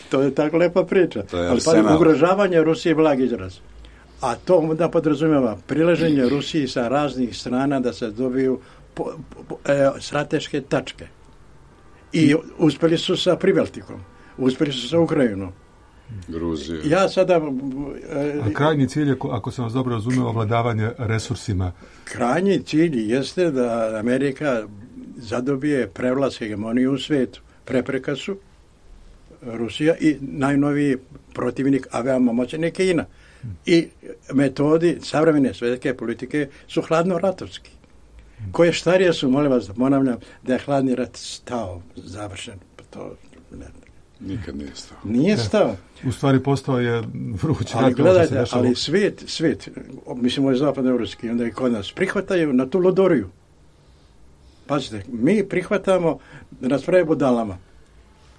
To je tako lepa priča. Ali pa ugrožavanje Rusije blag izraz. A to onda podrazumijeva prileženje Rusiji sa raznih strana da se dobiju po, po, e, strateške tačke. I uspjeli su sa Pribaltikom, uspjeli su sa Ukrajinom. Gruzija. Ja sada... E, A krajnji cilj je, ako sam vas dobro razumio, ovladavanje resursima. Krajnji cilj jeste da Amerika zadobije prevlast hegemoniju u svijetu. Prepreka su Rusija i najnoviji protivnik, a veoma moćan je Kina. I metodi savremene svjetske politike su hladno-ratovski. Koje starije su, molim vas da ponavljam, da je hladni rat stao, završen. To ne. Nikad nije stao. Nije stao. U stvari postao je vrući ali rat. Gledajte, ali svijet, svijet, mislim ovo je zapadnoevropski, onda i kod nas, prihvataju na tu lodoriju. Pazite, mi prihvatamo da nas pravi budalama.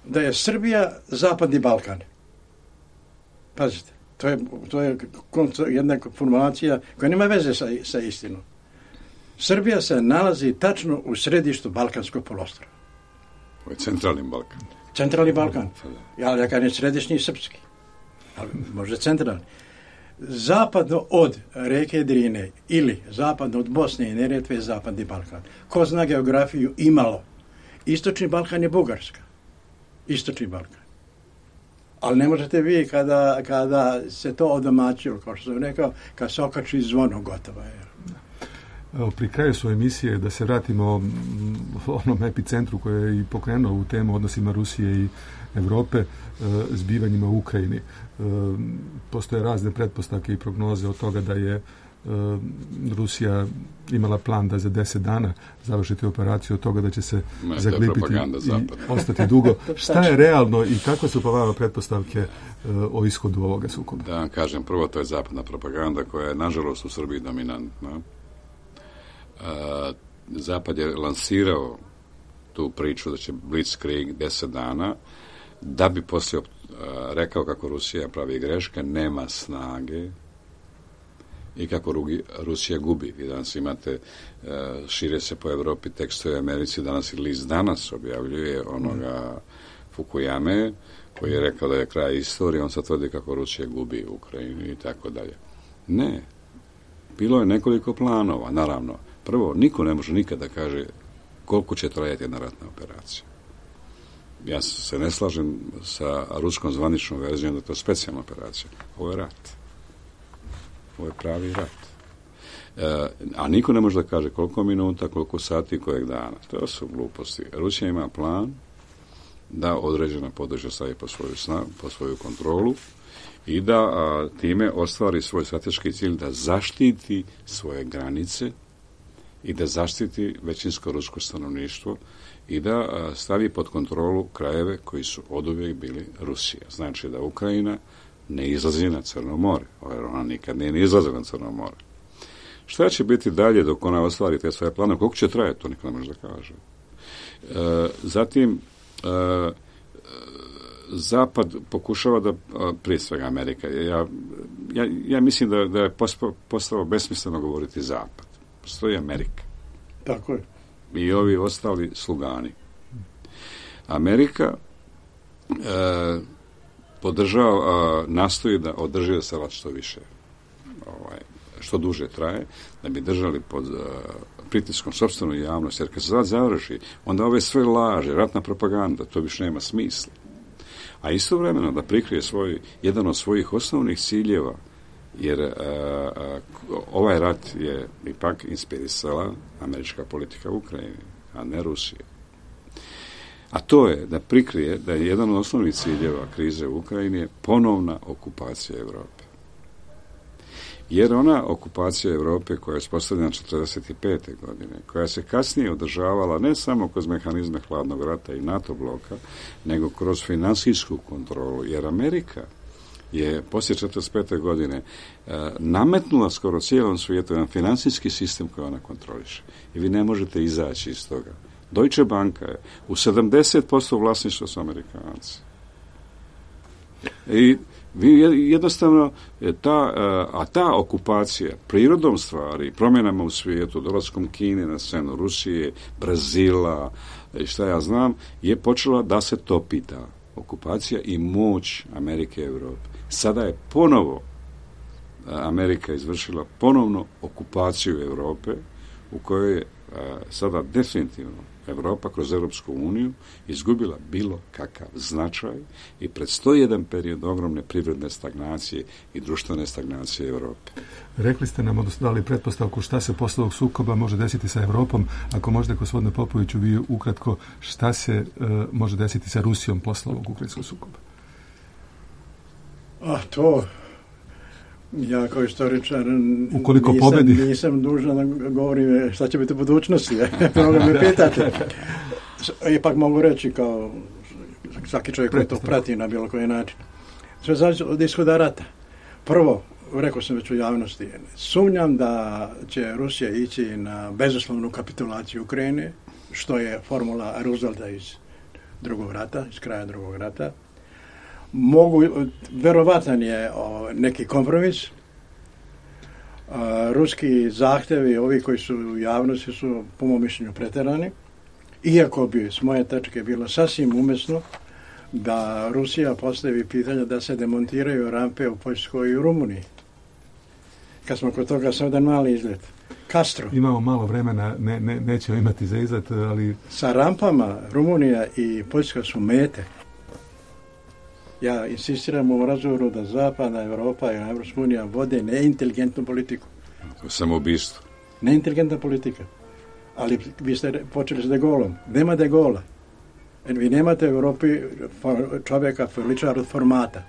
Da je Srbija zapadni Balkan. Pazite, to je, to je jedna formulacija koja nema veze sa, sa istinom. Srbija se nalazi tačno u središtu Balkanskog poluostrva. Ovo je centralni Balkan. Centralni Balkan. Ja, ja kažem središnji srpski. Ali možda centralni. Zapadno od reke Drine ili zapadno od Bosne i Neretve je zapadni Balkan. Ko zna geografiju imalo. Istočni Balkan je Bugarska. Istočni Balkan. Ali ne možete vi kada, kada se to odomaćilo, kao što sam rekao, kad se okači zvono, gotovo je. Evo, pri kraju svoje emisije da se vratimo onom epicentru koji je i pokrenuo u temu odnosima Rusije i Europe, zbivanjima u Ukrajini. Postoje razne pretpostavke i prognoze od toga da je Rusija imala plan da za deset dana završiti operaciju, od toga da će se ne, zaglipiti i ostati dugo. Šta je realno i kakve su po vama pretpostavke o ishodu ovoga sukoba? Da vam kažem, prvo to je zapadna propaganda koja je nažalost u Srbiji dominantna. Zapad je lansirao tu priču da će Blitzkrieg deset dana da bi poslije rekao kako Rusija pravi greške, nema snage i kako Rusija gubi. Vi danas imate, šire se po Evropi tekstove u Americi, danas i list Danas objavljuje onoga Fukuyame, koji je rekao da je kraj istorije, on sad tvrdi kako Rusija gubi u Ukrajini i tako dalje. Ne. Bilo je nekoliko planova, naravno. Prvo, niko ne može nikada kaže koliko će trajati jedna ratna operacija. Ja se ne slažem sa ruskom zvaničnom verzijom da je to specijalna operacija. Ovo je rat. Ovo je pravi rat. E, a niko ne može da kaže koliko minuta, koliko sati, kojeg dana. To su gluposti. Rusija ima plan da određena područja stavi po svoju, sna, po svoju kontrolu i da a, time ostvari svoj strateški cilj da zaštiti svoje granice i da zaštiti većinsko rusko stanovništvo i da a, stavi pod kontrolu krajeve koji su oduvijek bili Rusija. Znači da Ukrajina ne izlazi na Crno more, jer ona nikad nije izlazila na Crno more. Šta će biti dalje dok ona ostvari te svoje plane? Koliko će trajati, to niko ne može da kaže. E, zatim, e, Zapad pokušava da, prije svega Amerika, ja, ja, ja mislim da, da je postalo besmisleno govoriti Zapad. Postoji Amerika. Tako je. I ovi ostali slugani. Amerika e, podržava, nastoji da održi da se rat što više, ovaj, što duže traje, da bi držali pod uh, pritiskom sopstvenu javnost, jer kad se rat završi, onda ove sve laže, ratna propaganda, to više nema smisla. A istovremeno da prikrije svoj, jedan od svojih osnovnih ciljeva, jer uh, uh, ovaj rat je ipak inspirisala američka politika u Ukrajini, a ne Rusija. A to je da prikrije da je jedan od osnovnih ciljeva krize u Ukrajini je ponovna okupacija Europe. Jer ona okupacija Europe koja je uspostavljena četrdeset pete godine, koja se kasnije održavala ne samo kroz mehanizme hladnog rata i NATO bloka, nego kroz finansijsku kontrolu, jer Amerika je poslije četrdeset pete godine e, nametnula skoro cijelom svijetu jedan financijski sistem koji ona kontroliše. I vi ne možete izaći iz toga. Deutsche Banka je u sedamdeset posto vlasništva su Amerikanci. I vi jednostavno, ta, a ta okupacija prirodom stvari, promjenama u svijetu, dolaskom Kine na scenu, Rusije, Brazila, šta ja znam, je počela da se topi ta okupacija i moć Amerike i Europe. Sada je ponovo Amerika izvršila ponovno okupaciju Europe, u kojoj je sada definitivno Europa kroz Europsku uniju izgubila bilo kakav značaj i predstoji jedan period ogromne privredne stagnacije i društvene stagnacije Europe. Rekli ste nam, odnosno dali pretpostavku šta se posle ovog sukoba može desiti sa Europom. Ako možete, gospodine Popoviću, vi ukratko, šta se uh, može desiti sa Rusijom posle ovog ukrajinskog sukoba? A to... Ja kao istoričar Ukoliko nisam, pobedi. nisam dužan da govorim šta će biti u budućnosti. Mnogo me pitate. Ipak mogu reći kao svaki čovjek koji to prati na bilo koji način. Sve znači od ishoda rata. Prvo, rekao sam već u javnosti, sumnjam da će Rusija ići na bezuslovnu kapitulaciju Ukrajine, što je formula Roosevelta iz drugog rata, iz kraja drugog rata. Mogu, verovatan je o, neki kompromis. A, ruski zahtjevi, ovi koji su u javnosti, su po mom mišljenju pretjerani. Iako bi s moje tačke bilo sasvim umjesno da Rusija postavi pitanje da se demontiraju rampe u Poljskoj i u Rumuniji. Kad smo kod toga, sam jedan mali izlet. Castro. Imamo malo vremena, ne, ne, nećemo imati za izlet, ali... Sa rampama Rumunija i Poljska su mete. Ja insistiram u razgovoru da Zapadna Europa i Evropska unija vode neinteligentnu politiku. To je samoubistvo. Neinteligentna politika. Ali vi ste počeli s De Gaulom. Nema De Gaula. Vi nemate u Europi čovjeka ličar od formata.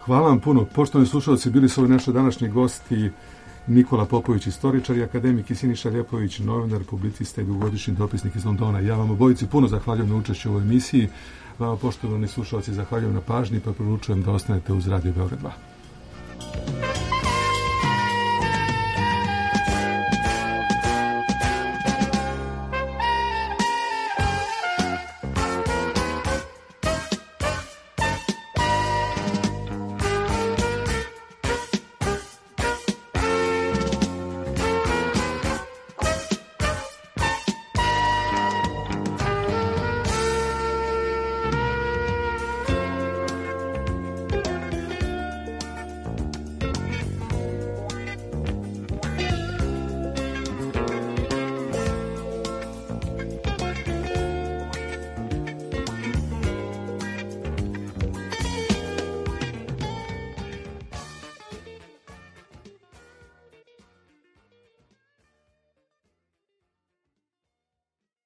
Hvala vam puno. Poštovani slušalci, bili su ovi naši današnji gosti Nikola Popović, istoričar, i akademik, i Siniša Ljepović, novinar, publicista i dugogodišnji dopisnik iz Londona. Ja vam obojici puno zahvaljujem na učešću u ovoj emisiji. Vama, poštovani slušalci, zahvaljujem na pažnji, pa poručujem da ostanete uz Radio Beograd dva.